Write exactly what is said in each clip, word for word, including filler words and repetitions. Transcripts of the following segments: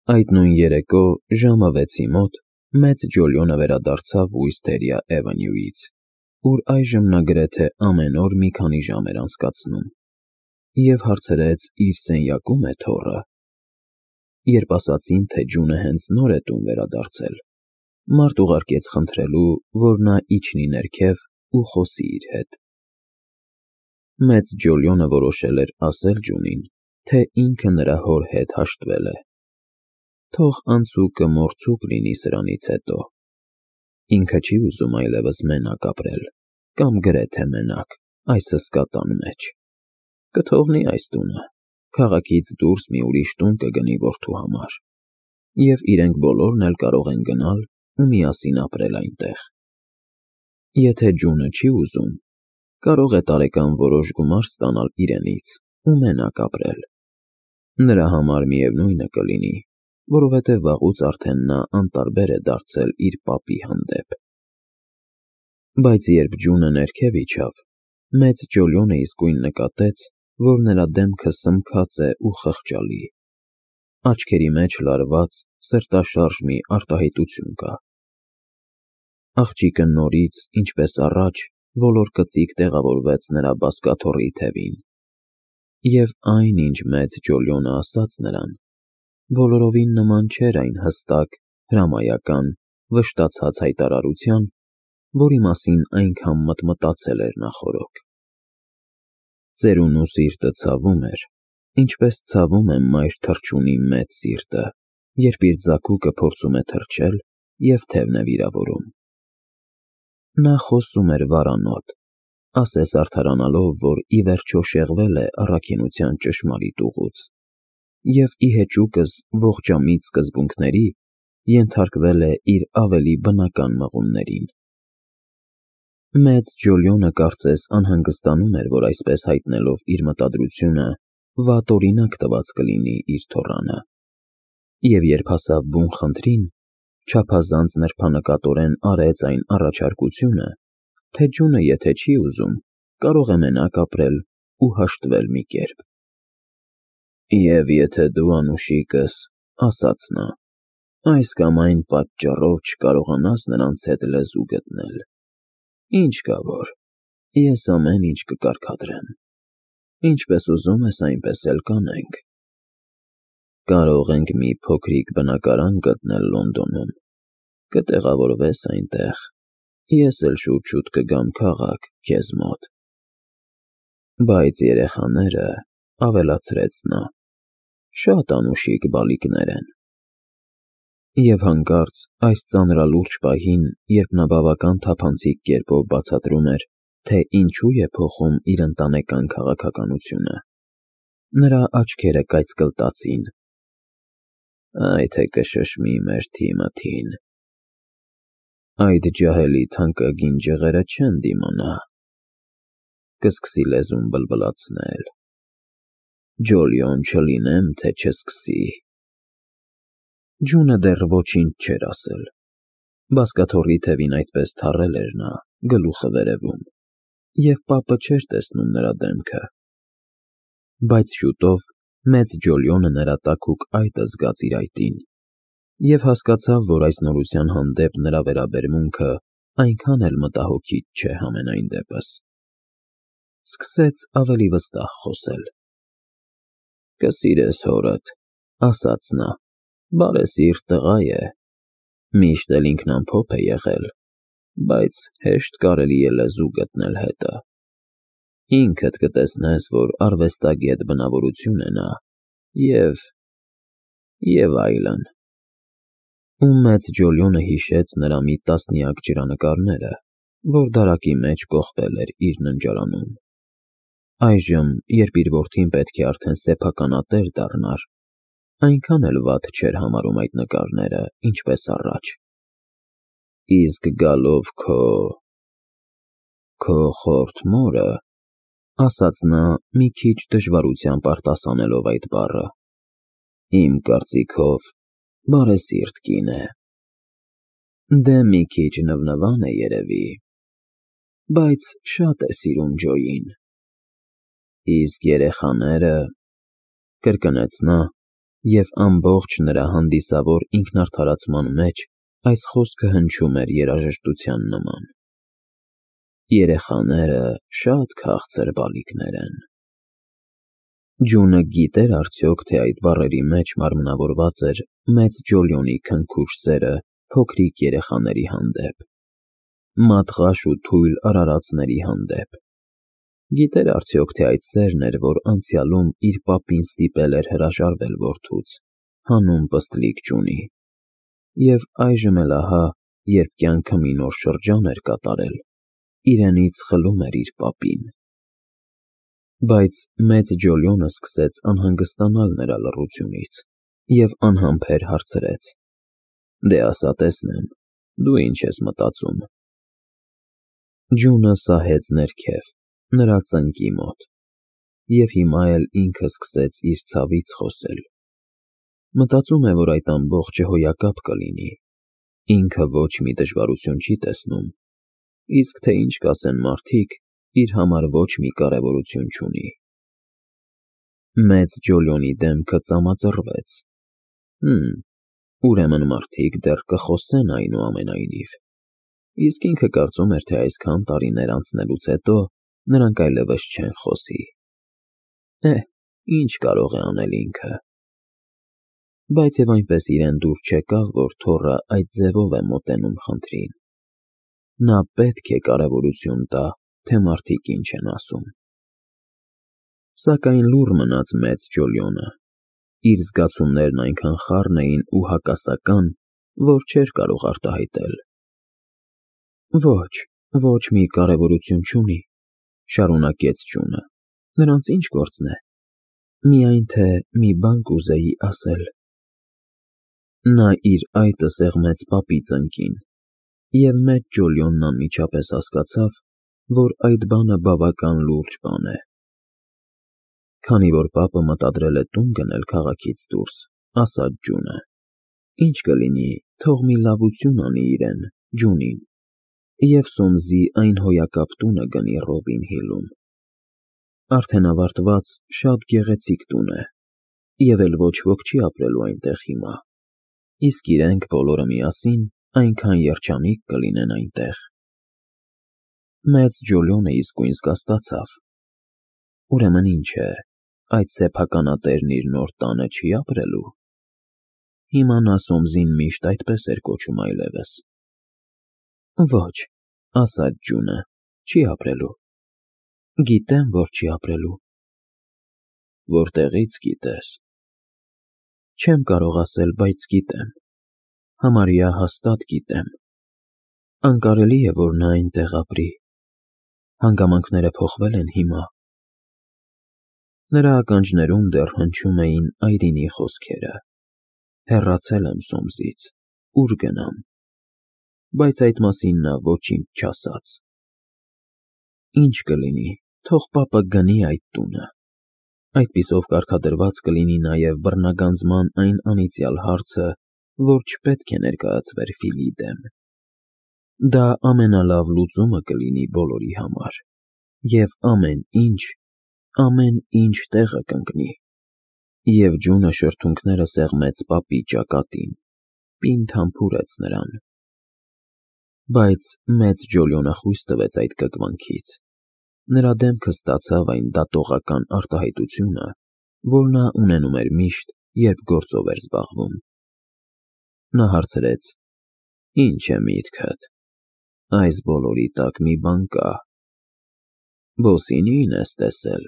Այդ նույն երեկո ժամը վեցի մոտ մեծ Ջոլիոնը վերադարձավ Ուիստերիա Էվենյուից, ուր այժմ նա գրեթե ամեն օր մի քանի ժամ էր անցկացնում, և հարցրեց իր սենյակու՞մ է թոռը։ Երբ ասացին, թե Ջունը հենց նոր է տուն վերադարձել, մարդ ուղարկեց խնդրելու, որ նա իջնի ներքև ու խոսի իր հետ։ Մեծ Ջոլիոնը որոշել էր ասել Ջունին, թե ինքը նրա հոր հետ հաշտվել է, թող անցուկը մորցուկ լինի սրանից հետո։ Ինքը չի ուզում այլևս մենակ ապրել, կամ գրեթե մենակ, այս հսկա տան մեջ։ Կթողնի այս տունը, քաղաքից դուրս մի ուրիշ տուն կգնի որդու համար, և իրենք բոլորն էլ կարող են գնալ ու միասին ապրել այնտեղ։ Եթե Ջունը չի ուզում, կարող է տարեկան որոշ գումար ստանալ իրենից ու մենակ ապրել։ Նրա համար միևնույնը կլինի, որովհետև վաղուց արդեն նա անտարբեր է դարձել իր պապի հանդեպ։ Բայց երբ Ջունը ներքև իջավ, մեծ Ջոլիոնը իսկույն նկատեց, որ նրա դեմքը սմքած է ու խղճալի, աչքերի մեջ լարված, սրտաշարժ մի արտահայտություն կա։ Աղջիկը նորից, ինչպես առաջ, ոլոր-կծիկ տեղավորվեց նրա բազկաթոռի թևին, և այն, ինչ մեծ Ջոլիոնը ասաց նրան, բոլորովին նման չէր այն հստակ, հրամայական, վշտացած հայտարարության, որի մասին այնքան մտմտացել էր նախօրոք։ Ծերունու սիրտը ցավում էր, ինչպես ցավում է մայր թռչունի մեծ սիրտը, երբ իր ձագուկը փորձում է թռչել և թևն է վիրավորում։ Նա խոսում էր վարանոտ, ասես արդարանալով, որ ի վերջո շեղվել է առաքինության ճշմարիտ ուղուց, և ի հեճուկս ողջամիտ սկզբունքների ենթարկվել է իր ավելի բնական մղումներին։ Մեծ Ջոլիոնը կարծես անհանգստանում էր, որ այսպես հայտնելով իր մտադրությունը, վատ օրինակ տված կլինի իր թոռանը, և երբ հասավ բուն խնդրին, չափազանց նրբանկատորեն արեց այն առաջարկությունը, թե Ջունը եթե չի ուզում, կարող է մենակ ապրել ու հաշտվել մի կերպ։ «Եվ եթե դու անուշիկս, — ասաց նա, — այս կամ այն պատճառով չկարողանաս նրանց հետ լեզու գտնել, ինչ կա որ, ես ամեն ինչ կկարգադրեմ, ինչպես ուզում ես, այնպես էլ կանենք։ Կարող ենք մի փոքրիկ բնակարան գտնել Լոնդոնում, կտեղավորվես այնտեղ, ես էլ շուտ֊շուտ կգամ քաղաք քեզ մոտ։ Բայց երեխաները, — ավելացրեց նա, — շատ անուշիկ բալիկներ են»։ Եվ հանկարծ այս ծանրալուրջ պահին, երբ նա բավական թափանցիկ կերպով բացատրում էր, թե ինչու է փոխում իր ընտանեկան քաղաքականությունը, նրա աչքերը կայծկլտացին։ «Այ թե կշշմի մեր Թիմոթին, այդ ջահելի թանկագին ջղերը չեն դիմանա, կսկսի լեզուն բլբլացնել, Ջոլիոն չլինեմ, թե չսկսի»։ Ջունը դեռ ոչինչ չէր ասել, բազկաթոռի թևին այդպես թառել էր նա, գլուխը վերևում, և պապը չէր տեսնում նրա դեմքը։ Բայց շուտով մեծ Ջոլիոնը նրա տաքուկ այտը զգաց իր այտին, և հասկացավ, որ այս նորության հանդեպ նրա վերաբերմունքը այնքան էլ մտահոգիչ չէ համենայն դեպս։ Սկսեց ավելի վստահ խոսել. «Կսիրես հորդ, — ասաց նա, — բարեսիրտ տղա է, միշտ էլ ինքնամփոփ է եղել, բայց հեշտ կարելի է լեզու գտնել հետը։ Ինքդ կտեսնես, որ արվեստագետ բնավորություն է նա, և… և այլն»։ Ու մեծ Ջոլիոնը հիշեց նրա մի տասնյակ ջրանկարները, որ դարակի մեջ կոխվել էր իր ննջարանում։ Այժմ, երբ իր որդին պետք է արդեն սեփականատեր դառնար, այնքան էլ վատ չէր համարում այդ նկարները, ինչպես առաջ։ «Իսկ գալով քո… քո խորթ մորը, — ասաց նա, մի քիչ դժվարությամբ արտասանելով այդ բառը, — իմ կարծիքով բարեսիրտ կին է։ Դե մի քիչ նվնվան է երևի, բայց շատ է սիրում Ջոյին։ Իսկ երեխաները, — կրկնեց նա, և ամբողջ նրա հանդիսավոր ինքնարդարացման մեջ այս խոսքը հնչում էր երաժշտության նման. «Երեխաները շատ քաղցր բալիկներ են»։ Ջունը գիտե՞ր արդյոք, թե այդ բառերի մեջ մարմնավորված էր մեծ Ջոլիոնի քնքուշ սերը փոքրիկ երեխաների հանդեպ, մատղաշ ու թույլ արարածների հանդեպ։ Գիտե՞ր արդյոք, թե այդ սերն էր, որ անցյալում իր պապին ստիպել էր հրաժարվել որդուց, հանուն պստլիկ Ջունի, և այժմ էլ ահա, երբ կյանքը մի նոր շրջան էր կատարել, իրենից խլում էր իր պապին։ Բայց մեծ Ջոլիոնը սկսեց անհանգստանալ նրա լռությունից և անհամբեր հարցրեց. «Դե ասա տեսնեմ, դու ինչ ես մտածում»։ Ջունը սահեց ներքև, նրա ծնկի մոտ, և հիմա էլ ինքը սկսեց իր ցավից խոսել։ Մտածում է, որ այդ ամբողջը հոյակապ կլինի, ինքը ոչ մի դժվարություն չի տեսնում, իսկ թե ինչ կասեն մարդիկ, իր համար ոչ մի կարևորություն չունի։ Մեծ Ջոլիոնի դեմքը ծամածռվեց։ Հըմ, ուրեմն մարդիկ դեռ կխոսեն այնուամենայնիվ, իսկ ինքը կարծում էր, թե այսքան տարիներ անցնելուց հետո նրանք այլևս չեն խոսի։ Էհ, ինչ կարող է անել ինքը։ Բայց և այնպես իրեն դուր չեկավ, որ թոռը այդ ձևով է մոտենում խնդրին։ Նա պետք է կարևորություն տա, թե մարդիկ ինչ են ասում։ Սակայն լուռ մնաց մեծ Ջոլիոնը։ Իր զգացումներն այնքան խառն էին ու հակասական, որ չէր կարող արտահայտել։ Ոչ, ոչ մի կարևորություն չունի, շարունակեց Ջունը, նրանց ինչ գործն է, միայն թե մի բան կուզեի ասել։ Նա իր այտը սեղմեց պապի ծնկին, և մեծ Ջոլիոնն անմիջապես հասկացավ, որ այդ բանը բավական լուրջ բան է։ Քանի որ պապը մտադրել է տուն գնել քաղաքից դուրս, ասաց Ջունը, ինչ կլինի, թող մի լավություն անի իրեն, Ջունին, և Սոմսի այն հոյակապ տունը գնի Ռոբին Հիլում։ Արդեն ավարտված շատ գեղեցիկ տուն է, և էլ ոչ ոք չի ապրելու այնտեղ հիմա, իսկ իրենք բոլորը միասին այնքան երջանիկ կլինեն այնտեղ։ Մեծ Ջոլիոնը իսկույն զգաստացավ։ Ուրեմն ինչ է, այդ սեփականատերն իր նոր տանը չի ապրելու։ Հիմա նա Սոմսին միշտ այդպես էր կոչում այլևս։ Ոչ, ասաց Ջունը, չի ապրելու։ Գիտեմ, որ չի ապրելու։ Որտեղի՞ց գիտես։ Չեմ կարող ասել, բայց գիտեմ, համարյա հաստատ գիտեմ։ Անկարելի է, որ նա այնտեղ ապրի։ Հանգամանքները փոխվել են հիմա։ Նրա ականջներում դեռ հնչում էին այրինի խոսքերը. հեռացել եմ Սոմսից, ուր գնամ։ Բայց այդ մասին նա ոչինչ չասաց։ Ինչ կլինի, թող պապը գնի այդ տունը։ Այդպիսով կարգադրված կլինի նաև բռնագանձման այն անիծյալ հարցը, որ չպետք է ներկայացվեր Ֆիլի դեմ։ Դա ամենալավ լուծումը կլինի բոլորի համար, և ամեն ինչ, ամեն ինչ տեղը կընկնի։ Եվ Ջունը շրթունքները սեղմեց պապի ճակատին, պինդ համբուրեց նրան։ Բայց մեծ Ջոլիոնը խույս տվեց այդ կկվանքից։ Նրա դեմքը ստացավ այն դատողական արտահայտությունը, որ նա ունենում էր միշտ, երբ գործով էր զբաղվում։ Նա հարցրեց. Ինչ է միտքդ։ Այս բոլորի տակ մի բան կա։ Բոսինի՞ն ես տեսել։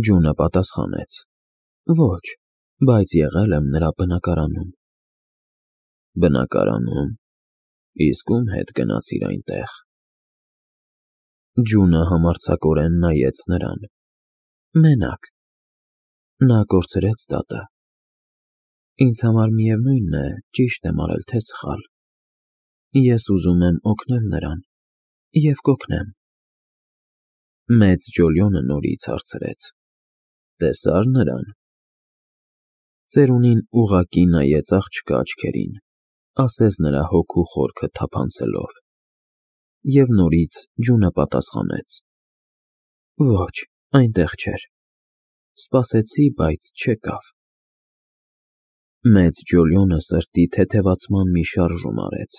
Ջունը պատասխանեց. Ոչ, բայց եղել եմ նրա բնակարանում։ Բնակարանում։ Իսկ ում հետ գնացիր այնտեղ։ Ջունը համարձակորեն նայեց նրան։ Մենակ։ Նա կորցրեց դատը։ Ինձ համար միևնույն է, ճիշտ եմ արել, թե սխալ։ Ես ուզում եմ օգնել նրան և կօգնեմ։ Մեծ Ջոլիոնը նորից հարցրեց. Տեսա՞ր նրան։ Ծերունին ուղղակի նայեց աղջկա աչքերին, ասես նրա հոգու խորքը թափանցելով։ Եվ նորից Ջունը պատասխանեց. Ոչ, այնտեղ չէր։ Սպասեցի, բայց չեկավ։ Մեծ Ջոլիոնը սրտի թեթևացման մի շարժում արեց։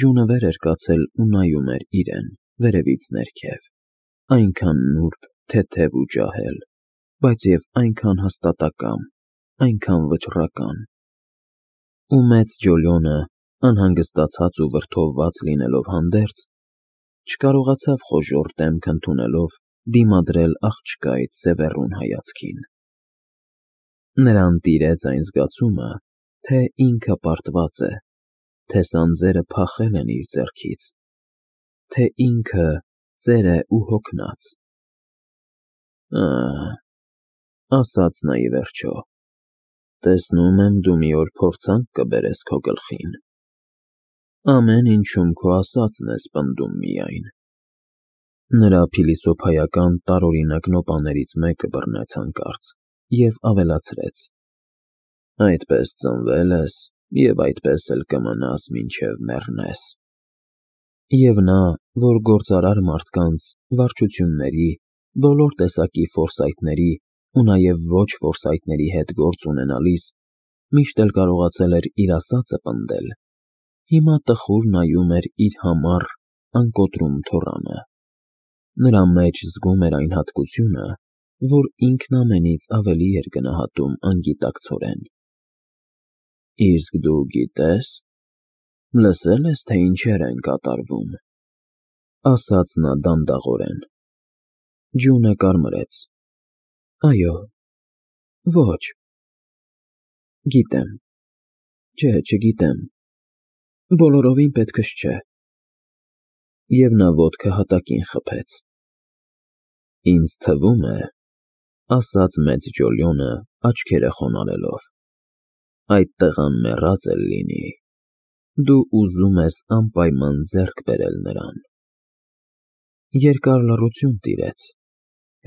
Ջունը վեր էր կացել ու նայում էր իրեն, վերևից ներքև, այնքան նուրբ, թեթև ու ջահել, բայց և այնքան հաստատակամ, այնքան վճռական։ Ու մեծ Ջոլիոնը, անհանգստացած ու վրդովված լինելով հանդերձ, չկարողացավ խոժոռ դեմք ընդունելով դիմադրել աղջկայից սևեռուն հայացքին։ Նրան տիրեց այն զգացումը, թե ինքը պարտված է, թե սանձերը փախել են իր ձեռքից, թե ինքը ծեր է ու հոգնած։ «Ա՛հ,֊ ասաց նա ի վերջո,֊ տեսնում եմ, դու մի օր փորձանք կբերես քո գլխին։ Ամեն ինչում քո ասածն ես պնդում միայն»։ Նրա փիլիսոփայական տարօրինակ նոպաներից մեկը բռնեց հանկարծ և ավելացրեց. «Այդպես ծնվել ես և այդպես էլ կմնաս, մինչև մեռնես»։ Եվ նա, որ գործարար մարդկանց, վարչությունների, բոլոր տեսակի ֆորսայթների ու նաև ոչ ֆորսայթների հետ գործ ունենալիս, միշտ էլ կարողացել էր իր ասածը պնդել, հիմա տխուր նայում էր իր համառ, անկոտրում թոռանը։ Նրա մեջ զգում էր այն հատկությունը, որ ինքն ամենից ավելի էր գնահատում անգիտակցորեն։ «Իսկ դու գիտե՞ս, լսե՞լ ես, թե ինչեր են կատարվում», ասաց նա դանդաղորեն։ Ջունը կարմրեց։ «Այո, ոչ, գիտեմ, չէ, չգիտեմ, բոլորովին պետքս չէ»։ Եվ նա ոտքը հատակին խփեց։ «Ինձ թվում է,֊ ասաց մեծ Ջոլիոնը, աչքերը խոնարհելով,֊ այդ տղան մեռած էլ լինի, դու ուզում ես անպայման ձեռք բերել նրան»։ Երկար լռություն տիրեց,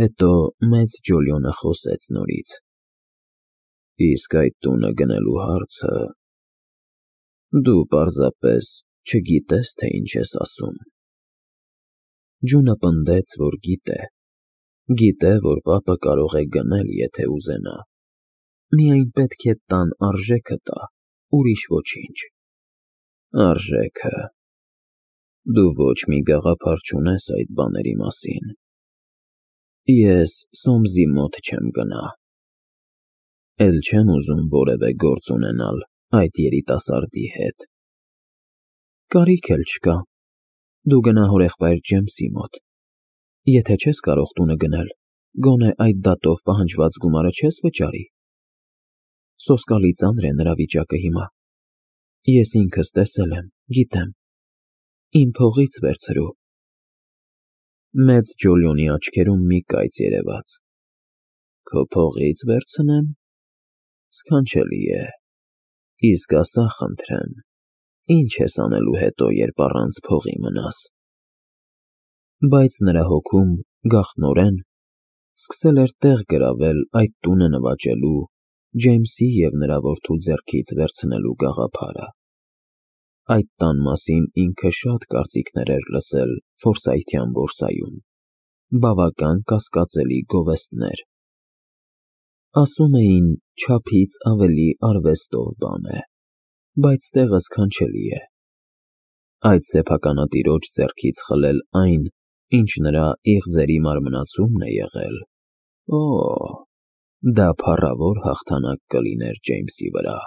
հետո մեծ Ջոլիոնը խոսեց նորից. «Իսկ այդ տունը գնելու հարցը… դու պարզապես չգիտես, թե ինչ ես ասում»։ Ջունը պնդեց, որ գիտե, գիտե, որ պապը կարող է գնել, եթե ուզենա, միայն պետք է տան արժեքը տա, ուրիշ ոչինչ։ Արժե՞քը… Դու ոչ մի գաղափար չունես այդ բաների մասին։ Ես Սոմսի մոտ չեմ գնա։ Էլ չեմ ուզում որևէ գործ ունենալ այդ երիտասարդի հետ։ Կարիք էլ չկա, դու գնա հորեղբայր Ջեյմսի մոտ։ Եթե չես կարող տունը գնել, գոնե այդ դատով պահանջված գումարը չես վճարի։ Սոսկալի ծանր է նրա վիճակը հիմա։ Ես ինքս տեսել եմ, գիտեմ, իմ փողից վերցրու։ Մեծ Ջոլիոնի աչքերում մի կայծ երևաց։ Քո փողի՞ց վերցնեմ։ Սքանչելի է։ Իսկ ասա, խնդրեմ, ի՞նչ ես անելու հետո, երբ առանց փողի մնաս։ Բայց նրա հոգում, գաղտնորեն, սկսել էր տեղ գրավել այդ տունը նվաճելու, Ջեյմսի և նրա որդու ձեռքից վերցնելու գաղափարը։ Այդ տան մասին ինքը շատ կարծիքներ էր լսել ֆորսայթյան բորսայում, բավական կասկածելի գովեստներ։ Ասում էին, չափից ավելի արվեստով բան է, բայց տեղը սքանչելի է։ Այդ սեփականատիրոջ ձեռքից խլել այն, ինչ նրա իղձերի մարմնացումն է եղել… Օ՜, դա փառավոր հաղթանակ կլիներ Ջեյմսի վրա։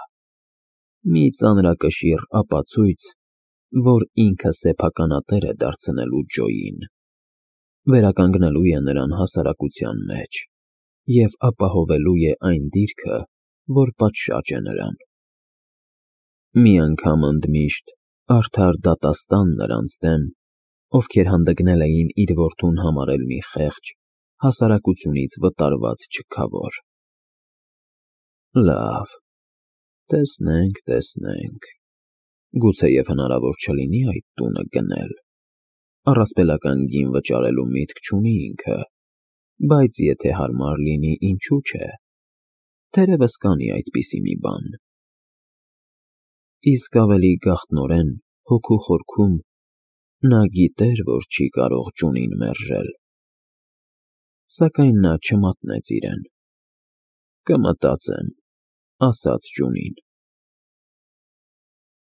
Մի ծանրակշիռ ապացույց, որ ինքը սեփականատեր է դարձնելու Ջոյին, վերականգնելու է նրան հասարակության մեջ և ապահովելու է այն դիրքը, որ պատշաճ է նրան։ Մի անգամ ընդմիշտ արդար դատաստան նրանց դեմ, ովքեր հանդգնել էին իր որդուն համարել մի խեղճ, հասարակությունից վտարված չքավոր։ Լավ, տեսնենք, տեսնենք, գուցեև հնարավոր չլինի այդ տունը գնել, առասպելական գին վճարելու միտք չունի ինքը, բայց եթե հարմար լինի, ինչու՞ չէ, թերևս կանի այդպիսի մի բան։ Իսկ ավելի գաղտնորեն, հոգու խորքում, նա գիտեր, որ չի կարող Ջունին մերժել։ Սակայն նա չմատնեց իրեն։ Կմտածեմ, ասաց ձյունին։